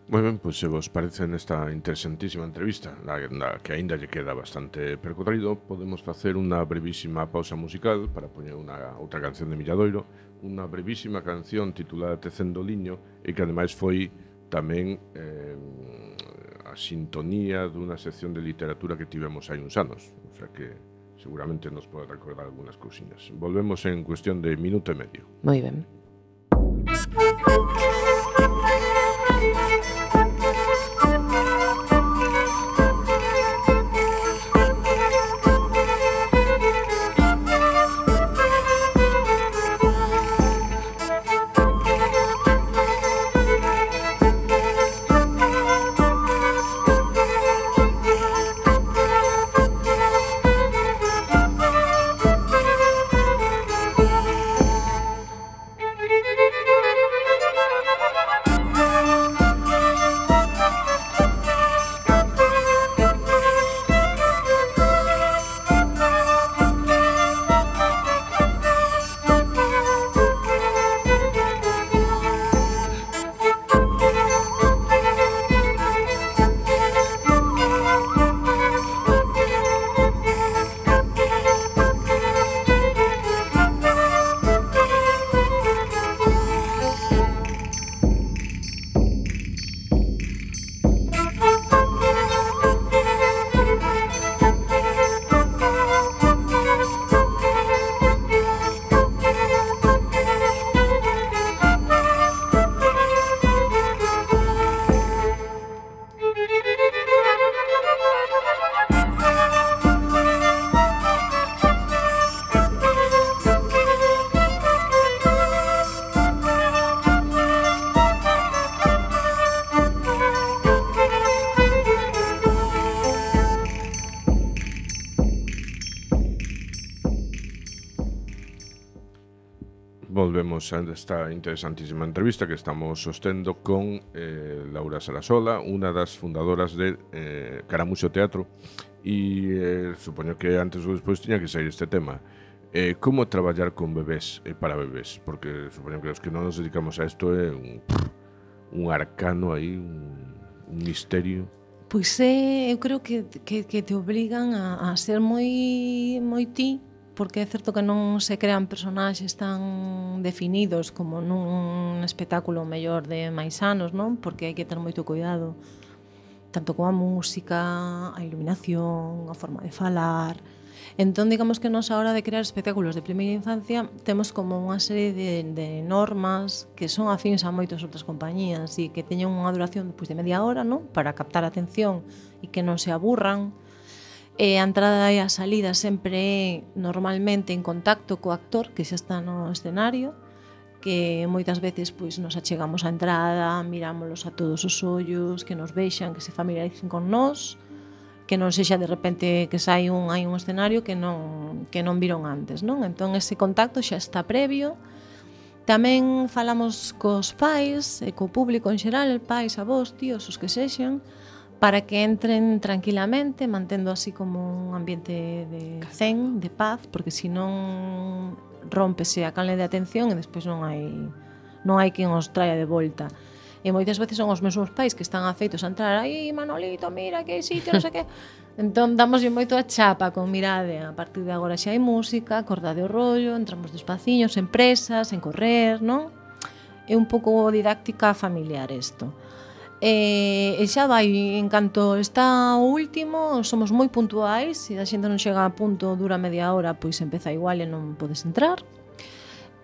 Moi ben, pois se vos parece nesta interesantísima entrevista, na que aínda lle queda bastante percorrido, podemos facer unha brevísima pausa musical para poñer unha outra canción de Milladoiro, unha brevísima canción titulada Tecendo Liño, e que ademais foi tamén a sintonía dunha sección de literatura que tivemos hai uns anos, o sea que seguramente nos pode recordar algunhas cousiñas. Volvemos en cuestión de minuto e medio. Moi ben. volvemos a esta interesantísima entrevista que estamos sostendo con Laura Sarasola, unha das fundadoras de Caramuxo Teatro, e supoño que antes ou despois tiña que sair este tema. Como traballar con bebés e para bebés? Porque supoño que os que non nos dedicamos a isto é un arcano aí, un misterio. Pois eu creo que te obrigan a ser moi ti, porque é certo que non se crean personaxes tan definidos como nun espectáculo mellor de máis anos, non? Porque hai que ter moito cuidado tanto coa música, a iluminación, a forma de falar. Entón, digamos que nos a hora de crear espectáculos de primeira infancia temos como unha serie de normas que son afíns a moitas outras compañías e que teñen unha duración de media hora, non? Para captar a atención e que non se aburran. E a entrada e a salida sempre é normalmente en contacto co actor que xa está no escenario, que moitas veces pois nos achegamos á entrada, mirámolos a todos os ollos, que nos vexan, que se familiaricen con nós, que non sexa de repente que hai un escenario que non viron antes, non? Entón ese contacto xa está previo. Tamén falamos cos pais e co público en xeral, pais, avós, tíos, os que sexan, para que entren tranquilamente, mantendo así como un ambiente de zen, de paz, porque senón rómpese a canle de atención e despois non hai quen os traia de volta. E moitas veces son os mesmos pais que están afeitos a entrar aí, Manolito, mira que hai sitio, non sei que. Entón damoslle moito a chapa con mirade. A partir de agora xa hai música, acordade o rollo, entramos despaciños, en presas, en correr, non? É un pouco didáctica familiar isto. E xa vai, en canto está o último, somos moi puntuais, se a xente non chega a punto, dura media hora, pois empeza igual e non podes entrar.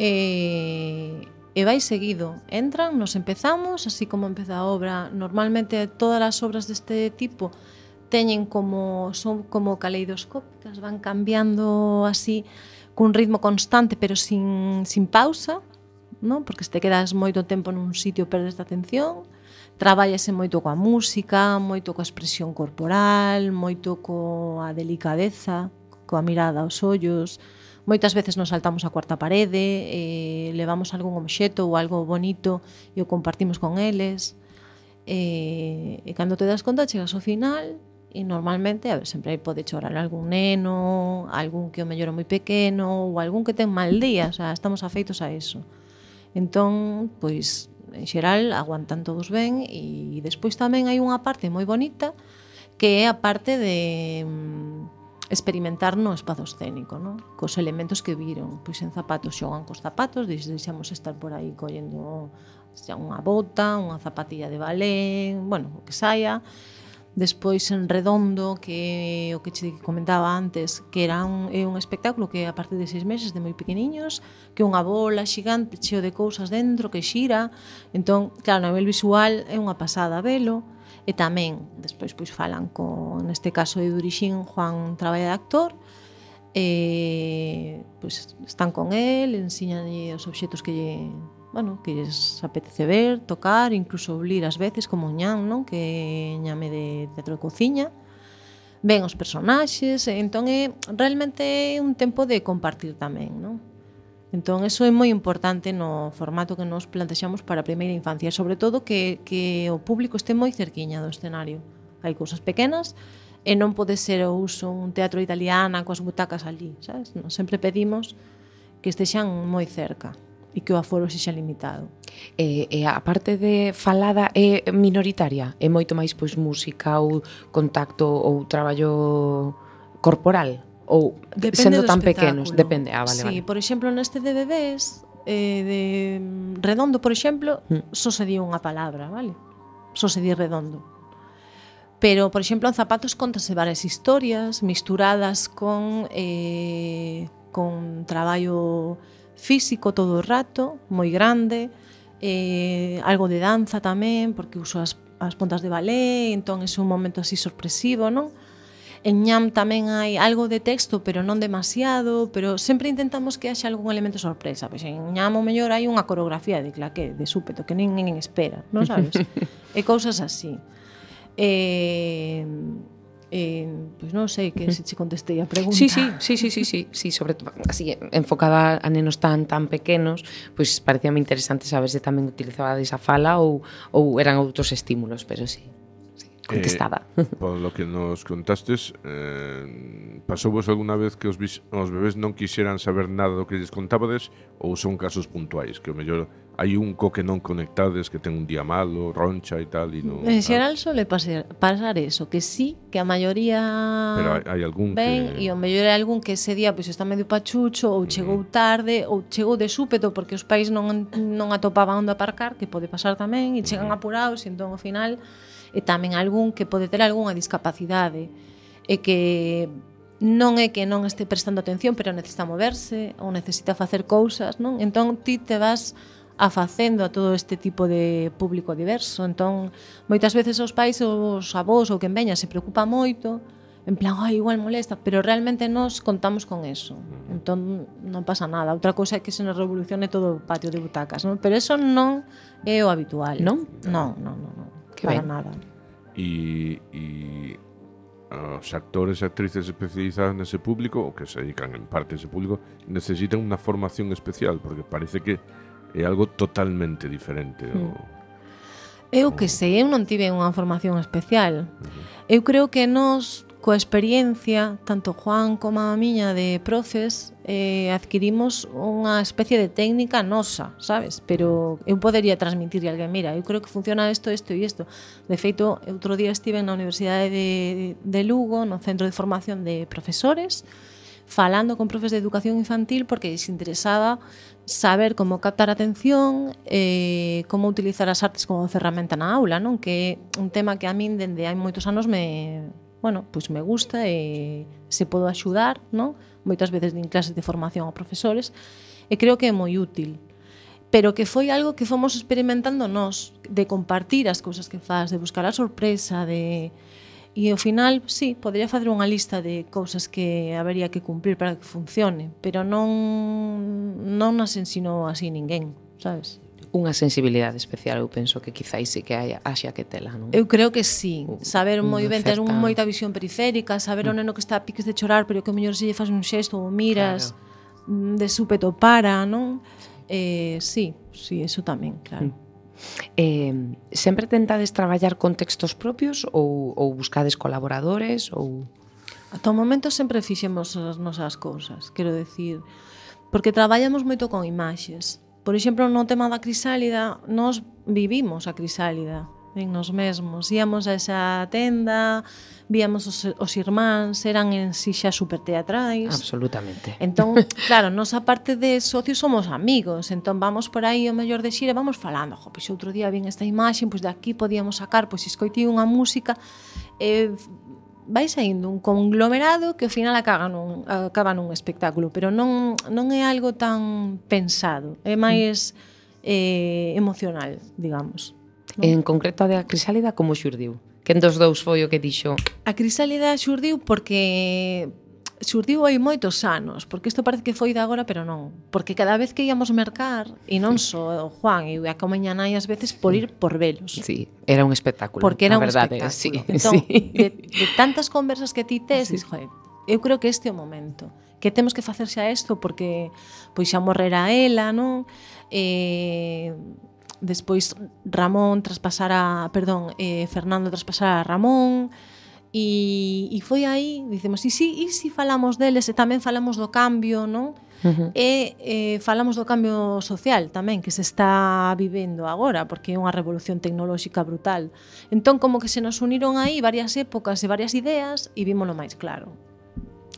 E vai seguido, entran, nos empezamos, así como empeza a obra. Normalmente todas as obras deste tipo teñen son como caleidoscópicas, van cambiando así cun ritmo constante pero sin pausa, non? Porque se te quedas moito tempo nun sitio perdes a atención. Trabállase moito coa música, moito coa expresión corporal, moito coa delicadeza, coa mirada aos ollos. Moitas veces nos saltamos a cuarta parede, levamos algún obxeto ou algo bonito e o compartimos con eles. E cando te das conta chegas ao final e normalmente, sempre aí pode chorar algún neno, algún que o mellor é moi pequeno ou algún que ten mal día, o sea, estamos afeitos a eso. Entón, pois, en xeral, aguantan todos ben e despois tamén hai unha parte moi bonita que é a parte de experimentar no espazo escénico, non? Cos elementos que viron, pois en zapatos xogan cos zapatos, deixamos estar por aí collendo xa unha bota, unha zapatilla de balé, bueno, o que saia. Despois en Redondo, que o que che comentaba antes, que é un espectáculo que a partir de 6 meses, de moi pequeniños, que é unha bola xigante cheo de cousas dentro que xira. Entón, claro, a nivel visual é unha pasada velo. E tamén, despois pois falan neste caso de Durixín, Juan traballa de actor, e pois están con el, ensíñanlle os obxetos que lles apetece ver, tocar, incluso oblir ás veces, como Ñam, non? Que ñame de teatro de cociña. Ven os personaxes, entón é realmente un tempo de compartir tamén, non? Entón, eso é moi importante no formato que nos plantexamos para a primeira infancia, sobre todo que o público este moi cerquiña do escenario. Hai cousas pequenas e non pode ser o uso un teatro italiana coas butacas ali, sabes? Nos sempre pedimos que estexan moi cerca e que o aforo sexa limitado. E a parte de falada é minoritaria? É moito máis pois música ou contacto ou traballo corporal? Ou depende sendo tan espectáculo. pequenos? Depende, vale, sí, vale. Por exemplo, neste de bebés, de Redondo, por exemplo, só se di unha palabra, vale? Só se di Redondo. Pero, por exemplo, en zapatos contase varias historias misturadas con traballo físico todo o rato, moi grande, algo de danza tamén, porque uso as pontas de balé, entón é un momento así sorpresivo, non? En Ñam tamén hai algo de texto, pero non demasiado, pero sempre intentamos que haxa algún elemento sorpresa. Pois en Ñam o mellor hai unha coreografía de claqué, de súpeto, que ninguén espera, non sabes? E cousas así. Pois non sei que se che contestei a pregunta. Sí, sobre todo así enfocada a nenos tan pequenos, pois parecíame interesante saber se tamén utilizabades a fala ou eran outros estímulos, pero sí, contestada. Polo que nos contastes, pasouvos algunha vez que os bebés non quixeran saber nada do que lles contabades, ou son casos puntuais, que o mellor hai un co que non conectades, que ten un día malo, roncha e tal, e non... En xeral suele pasar eso, que sí, que a maioría Pero hai algún ben, que... e o mellor é algún que ese día pois está medio pachucho, ou chegou tarde, ou chegou de súpeto porque os pais non atopaban onde aparcar, que pode pasar tamén, e chegan apurados, e entón ao final e tamén algún que pode ter algunha discapacidade e que non é que non este prestando atención, pero necesita moverse ou necesita facer cousas, non? Entón ti te vas afacendo a todo este tipo de público diverso. Entón, moitas veces os pais, os avós ou quen veña se preocupa moito, en plan, igual molesta, pero realmente nos contamos con eso. Entón, non pasa nada. Outra cousa é que se nos revolucione todo o patio de butacas, non? Pero eso non é o habitual. Non? Non. Que Para ben. nada. E os actores e actrices especializados nese público, ou que se dedican en parte a ese público, necesitan unha formación especial, porque parece que é algo totalmente diferente. Eu que sei, eu non tive unha formación especial. Eu creo que nós, coa experiencia, tanto Juan como a miña de profes, adquirimos unha especie de técnica nosa, sabes? Pero eu podería transmitirle a alguén, mira, eu creo que funciona isto e isto. De feito, outro día estive na Universidade de Lugo, no Centro de Formación de Profesores, falando con profes de educación infantil porque lles interesaba saber como captar a atención, como utilizar as artes como ferramenta na aula, non? Que é un tema que a min dende hai moitos anos me gusta e se podo axudar, non? Moitas veces din clases de formación a profesores e creo que é moi útil. Pero que foi algo que fomos experimentando nós, de compartir as cousas que faz, de buscar a sorpresa, e ao final, sí, podría facer unha lista de cousas que habería que cumprir para que funcione, pero non nas ensinou así ninguén, sabes? Unha sensibilidade especial, eu penso que quizáis sí que haxa que tela, non? Eu creo que sí, saber moi ben ter certa... moita visión periférica, saber o neno que está a piques de chorar, pero que o mellor se lle faz un xesto ou miras, de súpeto para, non? Sí, eso tamén, claro. Sempre tentades traballar con textos propios ou buscades colaboradores ou... Ata o momento sempre fixemos as nosas cousas, quero decir, porque traballamos moito con imaxes. Por exemplo, no tema da crisálida, nós vivimos a crisálida en nos mesmos. Íamos a esa tenda, víamos os irmáns, eran en si xa super teatrais. Absolutamente. Entón, claro, nos aparte de socios somos amigos, entón vamos por aí o mellor de xira, vamos falando, pois outro día vin esta imaxe, pois de aquí podíamos sacar, pois escoitei unha música, vai saindo un conglomerado que ao final acaba nun espectáculo, pero non é algo tan pensado, é máis emocional, digamos. Non? En concreto a da crisálida como xurdiu? Quen dos dous foi o que dixo? A crisálida xurdiu porque xurdiu hai moitos anos, porque isto parece que foi de agora, pero non. Porque cada vez que íamos mercar, e non só o Juan e a comeña nai ás veces por ir por velos. Sí, era un espectáculo. Porque era un verdade, espectáculo. Sí, Entón, sí. de tantas conversas que ti tes, dices, joder, eu creo que este é o momento. Que temos que facer xa isto porque pois xa morrera ela, non? Despois Fernando traspasara a Ramón e foi aí, dicemos, e si falamos deles e tamén falamos do cambio, non? E falamos do cambio social tamén que se está vivendo agora, porque é unha revolución tecnolóxica brutal. Entón, como que se nos uniron aí varias épocas e varias ideas e vímolo máis claro.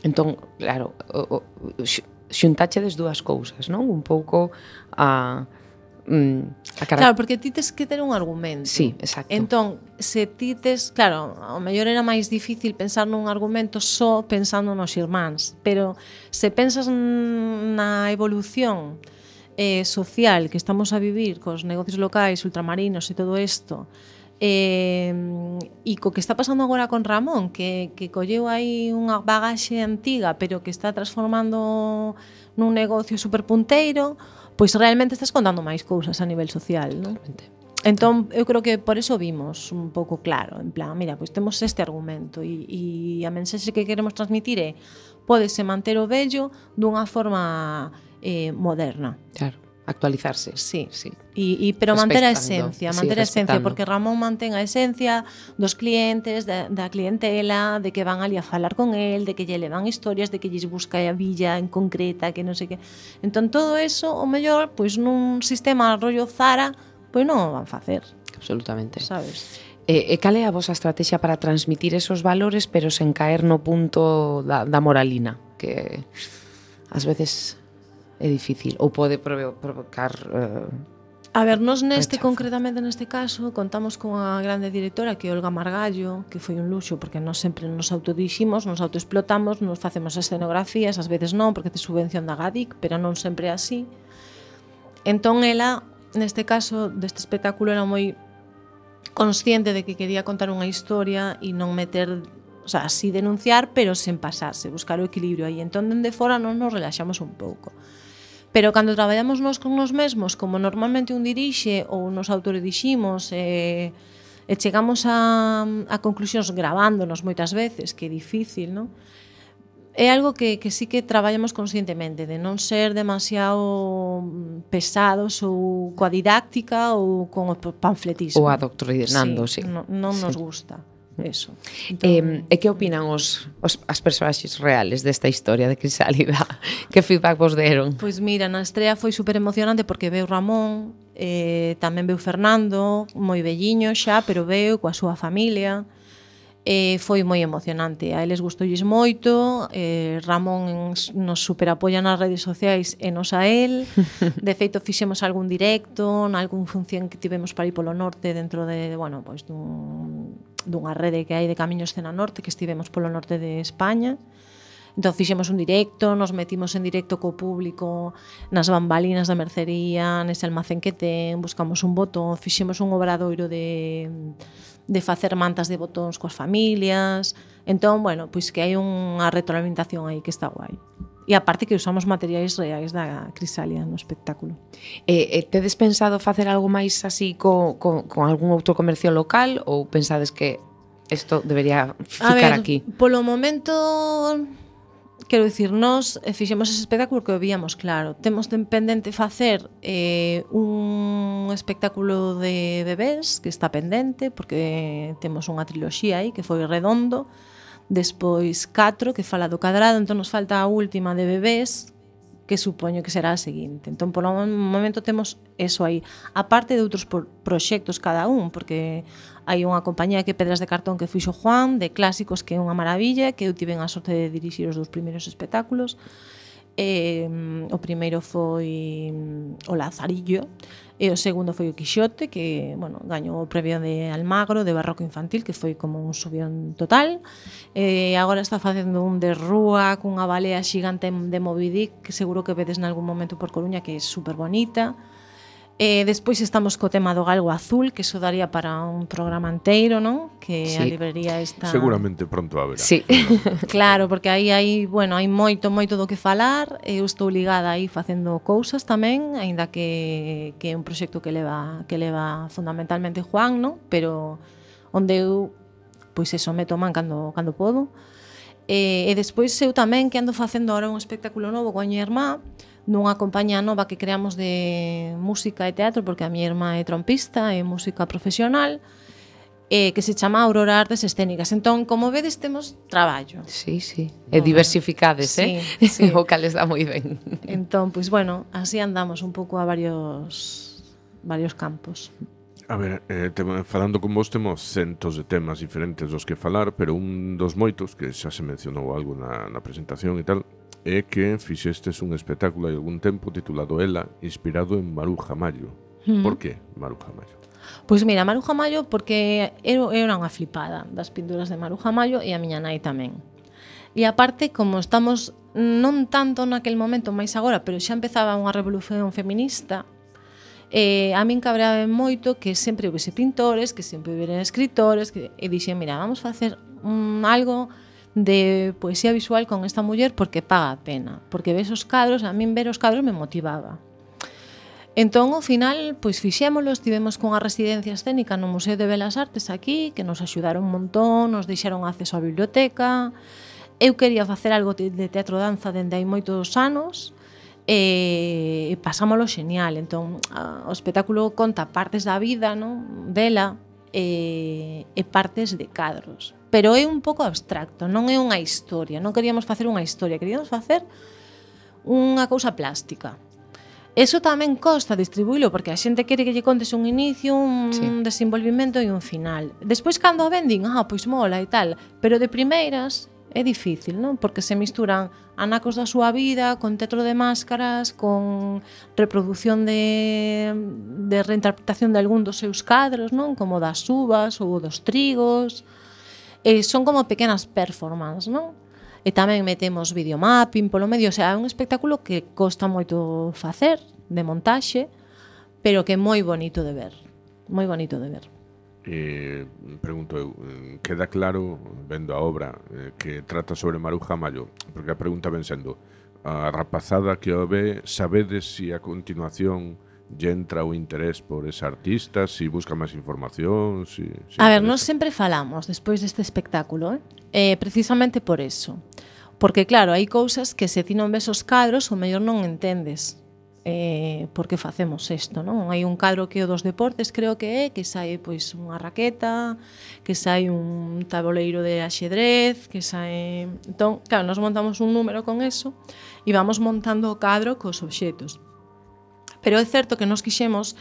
Entón, claro, xuntachedes dúas cousas, non? Un pouco a Claro, porque ti tes que ter un argumento. Sí, exacto. Entón, se ti tes, claro, ao mellor era máis difícil pensar nun argumento só pensando nos irmáns, pero se pensas na evolución social que estamos a vivir cos negocios locais, ultramarinos e todo isto, e co que está pasando agora con Ramón, que colleu aí unha bagaxe antiga, pero que está transformando nun negocio superpunteiro, pois realmente estás contando máis cousas a nivel social, non? Entón, eu creo que por eso vimos un pouco claro, en plan, mira, pois temos este argumento e a mensaxe que queremos transmitir é pódese manter o vello dunha forma moderna. Claro, actualizarse. Sí. sí. Pero manter a Respectando, esencia, sí, manter a esencia, respetando. porque Ramón mantén a esencia dos clientes, da clientela, de que van ali a falar con el, de que lle levan historias, de que lles busca a villa en concreta, que non sei que. Entón todo eso, o mellor, pois nun sistema rollo Zara, pois non o van facer, Absolutamente. sabes? E cal é a vosa estrategia para transmitir esos valores pero sen caer no punto da moralina, que ás veces é difícil ou pode provocar A ver, nos rechazo. concretamente neste caso, contamos con a grande directora que é Olga Margallo, que foi un luxo porque nós sempre nos autodiximos, nos autoexplotamos, nos facemos escenografías, ás veces non, porque te subvención da GADIC, pero non sempre é así. Entón, ela, neste caso, deste espectáculo, era moi consciente de que quería contar unha historia e non meter, o sea, así denunciar, pero sen pasarse, buscar o equilibrio aí. Entón, dende fora non nos relaxamos un pouco. Pero cando traballamos nós con nós mesmos, como normalmente un dirixe ou nos autorediximos e chegamos a conclusións grabándonos moitas veces, que é difícil, non? É algo que sí que traballamos conscientemente, de non ser demasiado pesados ou coa didáctica ou con o panfletismo. ou adoctrinando, sí. Non nos Sí. gusta eso. E que opinan as persoaxes reales desta historia de Crisálida? Que feedback vos deron? Pois mira, na estrea foi super emocionante porque veu Ramón, tamén veu Fernando, moi velliño xa, pero veu coa súa familia. Foi moi emocionante, a eles gustoulles moito, Ramón nos superapoia nas redes sociais e nos a el. De feito fixemos algún directo, nalgún función que tivemos para ir polo norte dentro de, bueno, pois dunha rede que hai de Camiños Cena Norte, que estivemos polo norte de España. Entón fixemos un directo, nos metimos en directo co público nas bambalinas da mercería, nese almacén que ten, buscamos un botón, fixemos un obradoiro de facer mantas de botóns coas familias. Entón, bueno, pois que hai unha retroalimentación aí que está guai. E aparte que usamos materiais reais da Crisálida no espectáculo. Tedes pensado facer algo máis así con algún outro comercio local ou pensades que isto debería ficar aquí? Polo momento, quero dicir, nós fixemos ese espectáculo que o víamos claro. Temos pendente facer un espectáculo de bebés que está pendente, porque temos unha triloxía aí que foi Redondo, despois 4 que fala do cadrado, entón nos falta a última de bebés, que supoño que será a seguinte. Entón, por un momento temos eso aí. A parte de outros proxectos cada un, porque hai unha compañía que é Pedras de Cartón que fixo Juan, de clásicos, que é unha maravilla, que eu tiven a sorte de dirixir os 2 primeiros espectáculos. O primeiro foi o Lazarillo e o segundo foi o Quixote, que, bueno, gañou o premio de Almagro de Barroco Infantil, que foi como un subión total. Agora está facendo un de rúa cunha balea xigante de Moby Dick, que seguro que vedes nalgún momento por Coruña, que é super bonita. Despois estamos co tema do Galgo Azul, que iso daría para un programa inteiro, non? Que Sí. a librería está... Seguramente pronto haberá. Sí. Claro, porque aí hai, bueno, hai moito do que falar. Eu estou ligada aí facendo cousas tamén, aínda que é un proxecto que leva fundamentalmente Juan, non? Pero onde eu pois eso meto man cando podo. E despois eu tamén que ando facendo ahora un espectáculo novo coa miña irmá, nunha compañía nova que creamos de música e teatro, porque a miña irmá é trompista e música profesional, que se chama Aurora Artes Escénicas. Entón, como vedes, temos traballo. Sí, sí. E diversificades, Sí, sí. sí. O cal está moi ben. Entón, pois bueno, así andamos un pouco a varios campos. A ver, falando con vos temos centos de temas diferentes dos que falar, pero un dos moitos, que xa se mencionou algo na presentación e tal, é que fixestes un espectáculo hai algún tempo titulado Ela, inspirado en Maruja Mayo. Por que Maruja Mayo? Pois mira, Maruja Mayo, porque eu era unha flipada das pinturas de Maruja Mayo e a miña nai tamén. E aparte, como estamos non tanto naquel momento, máis agora, pero xa empezaba unha revolución feminista, a min cabreaba moito que sempre houvese pintores, que sempre houvera escritores, e dixen, mira, vamos facer algo de poesía visual con esta muller porque paga a pena, porque ves os cadros, a min ver os cadros me motivaba. Entón, ao final, pois fixémolo, estivemos cunha residencia escénica no Museo de Belas Artes aquí, que nos axudaron un montón, nos deixaron acceso á biblioteca. Eu quería facer algo de teatro danza dende hai moitos anos, e pasámolo xenial. Entón, o espectáculo conta partes da vida, non, dela, e partes de cadros. Pero é un pouco abstracto, non é unha historia, non queríamos facer unha historia, queríamos facer unha cousa plástica. Eso tamén costa distribuílo porque a xente quere que lle contes un inicio, un desenvolvimento e un final. Despois cando a vendín, pois mola e tal, pero de primeiras é difícil, non? Porque se misturan anacos da súa vida con teatro de máscaras, con reproducción de reinterpretación de algún dos seus cadros, non? Como das uvas ou dos trigos. Son como pequenas performances, non? E tamén metemos videomapping polo medio, o sea, é un espectáculo que costa moito facer, de montaxe, pero que é moi bonito de ver, moi bonito de ver. Pregunto eu, queda claro, vendo a obra, que trata sobre Maruja Mallo, porque a pregunta ven sendo, a rapazada que o ve, sabedes se a continuación lle entra o interés por esa artista, si busca máis información, si a ver, interesa. nós sempre falamos despois deste espectáculo, precisamente por eso. Porque claro, hai cousas que se ti non ves os cadros, o mellor non entendes por que facemos isto, non? Hai un cadro que é o dos deportes, creo que sai pois unha raqueta, que sai un tabuleiro de axedrez, que sai... Entón, claro, nos montamos un número con eso e vamos montando o cadro cos obxetos. Pero é certo que nos quixemos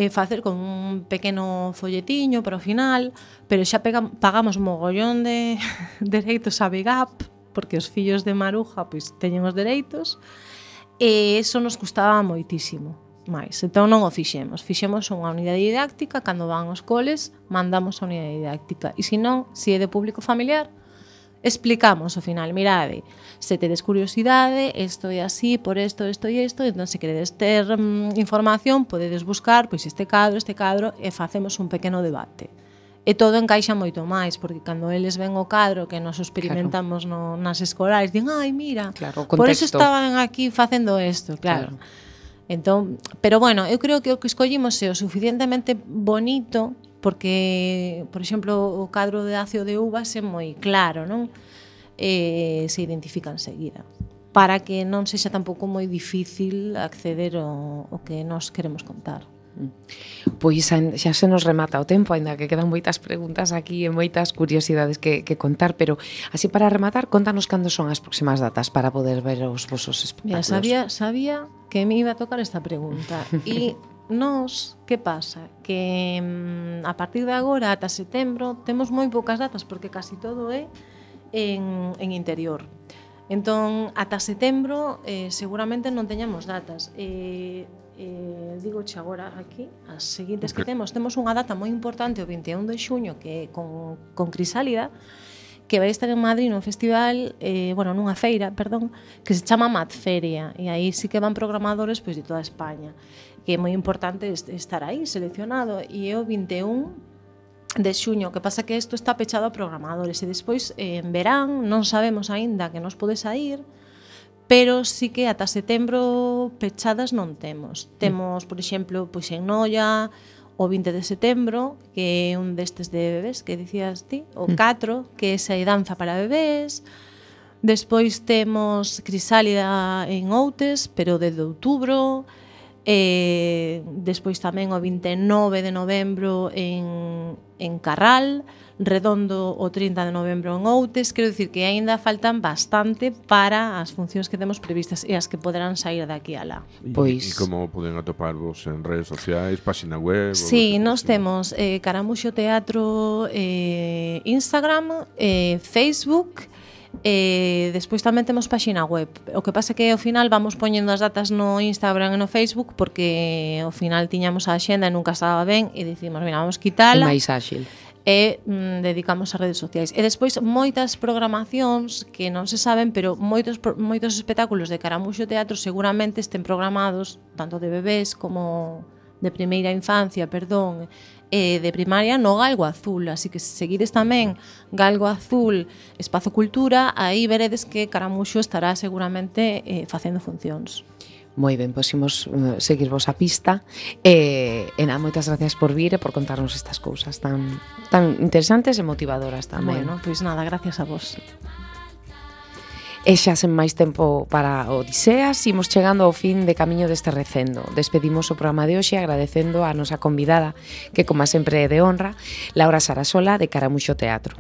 facer con un pequeno folletiño para o final, pero xa pagamos mogollón de dereitos a Big Up, porque os fillos de Maruja pois teñen os dereitos, e eso nos custaba moitísimo máis. Entón non o fixemos unha unidade didáctica, cando van aos coles mandamos a unidade didáctica, e se non, se é de público familiar, explicamos ao final, mirade, se tedes curiosidade, isto é así, por isto, isto e isto, entón se queredes ter información, podedes buscar pois este cadro, e facemos un pequeno debate. E todo encaixa moito máis, porque cando eles ven o cadro que nos experimentamos nas escolares, din, ai, mira, por eso estaban aquí facendo isto, claro. Entón, pero bueno, eu creo que o que escollimos é o suficientemente bonito, porque, por exemplo, o cadro de Acio de Uvas é moi claro, non? Se identifica enseguida, para que non sexa tampouco moi difícil acceder ao que nos queremos contar. Pois xa se nos remata o tempo, aínda que quedan moitas preguntas aquí e moitas curiosidades que contar, pero así para rematar, contanos cando son as próximas datas para poder ver os vosos espectáculos. Mira, sabía que me iba a tocar esta pregunta e nos, que pasa? Que a partir de agora ata setembro temos moi poucas datas porque casi todo é en interior. Entón, ata setembro seguramente non teñamos datas. Digoche agora aquí as seguintes que temos unha data moi importante o 21 de xuño que é con Crisálida, que vai estar en Madrid nun festival, nunha feira, perdón, que se chama Madferia, e aí sí que van programadores pois de toda España, que é moi importante estar aí seleccionado, e é o 21 de xuño, que pasa que isto está pechado a programadores, e despois en verán non sabemos aínda que nos pode sair, pero sí que ata setembro pechadas non temos. Temos, por exemplo, pois en Noia, o 20 de setembro, que é un destes de bebés que dicías ti, o 4, que é esa danza para bebés. Despois temos Crisálida en Outes, pero desde outubro. Despois tamén o 29 de novembro en Carral, Redondo o 30 de novembro en Outes. Quero dicir que aínda faltan bastante para as funcións que temos previstas e as que poderán sair daqui a lá. Pois... E como poden atoparvos en redes sociais, página web? Sí, nós temos Caramuxo Teatro, Instagram, Facebook. Despois tamén temos páxina web. O que pasa é que ao final vamos poñendo as datas no Instagram e no Facebook, porque ao final tiñamos a axenda e nunca estaba ben e dicimos, mira, vamos quitala. É máis áxil. E dedicamos a redes sociais. E despois moitas programacións que non se saben, pero moitos espectáculos de Caramuxo Teatro seguramente estén programados tanto de bebés como de primeira infancia, de primaria no Galgo Azul, así que se seguides tamén Galgo Azul, Espazo Cultura, aí veredes que Caramuxo estará seguramente facendo funcións. Moi ben, pois imos seguirvos a pista e nada, moitas gracias por vir e por contarnos estas cousas tan interesantes e motivadoras tamén. Bueno, pois nada, gracias a vos. E xa sen máis tempo para Odiseas, imos chegando ao fin de camiño deste recendo. Despedimos o programa de hoxe agradecendo a nosa convidada, que como sempre é de honra, Laura Sarasola de Caramuxo Teatro.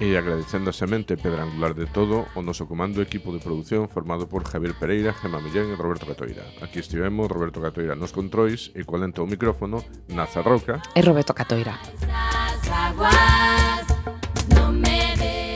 E agradecendo a semente pedra angular de todo o noso comando e equipo de produción formado por Javier Pereira, Gemma Millén e Roberto Catoira. Aquí estivemos Roberto Catoira nos controis e coa lenta o micrófono, Naza Roca E Roberto Catoira. Zaguán.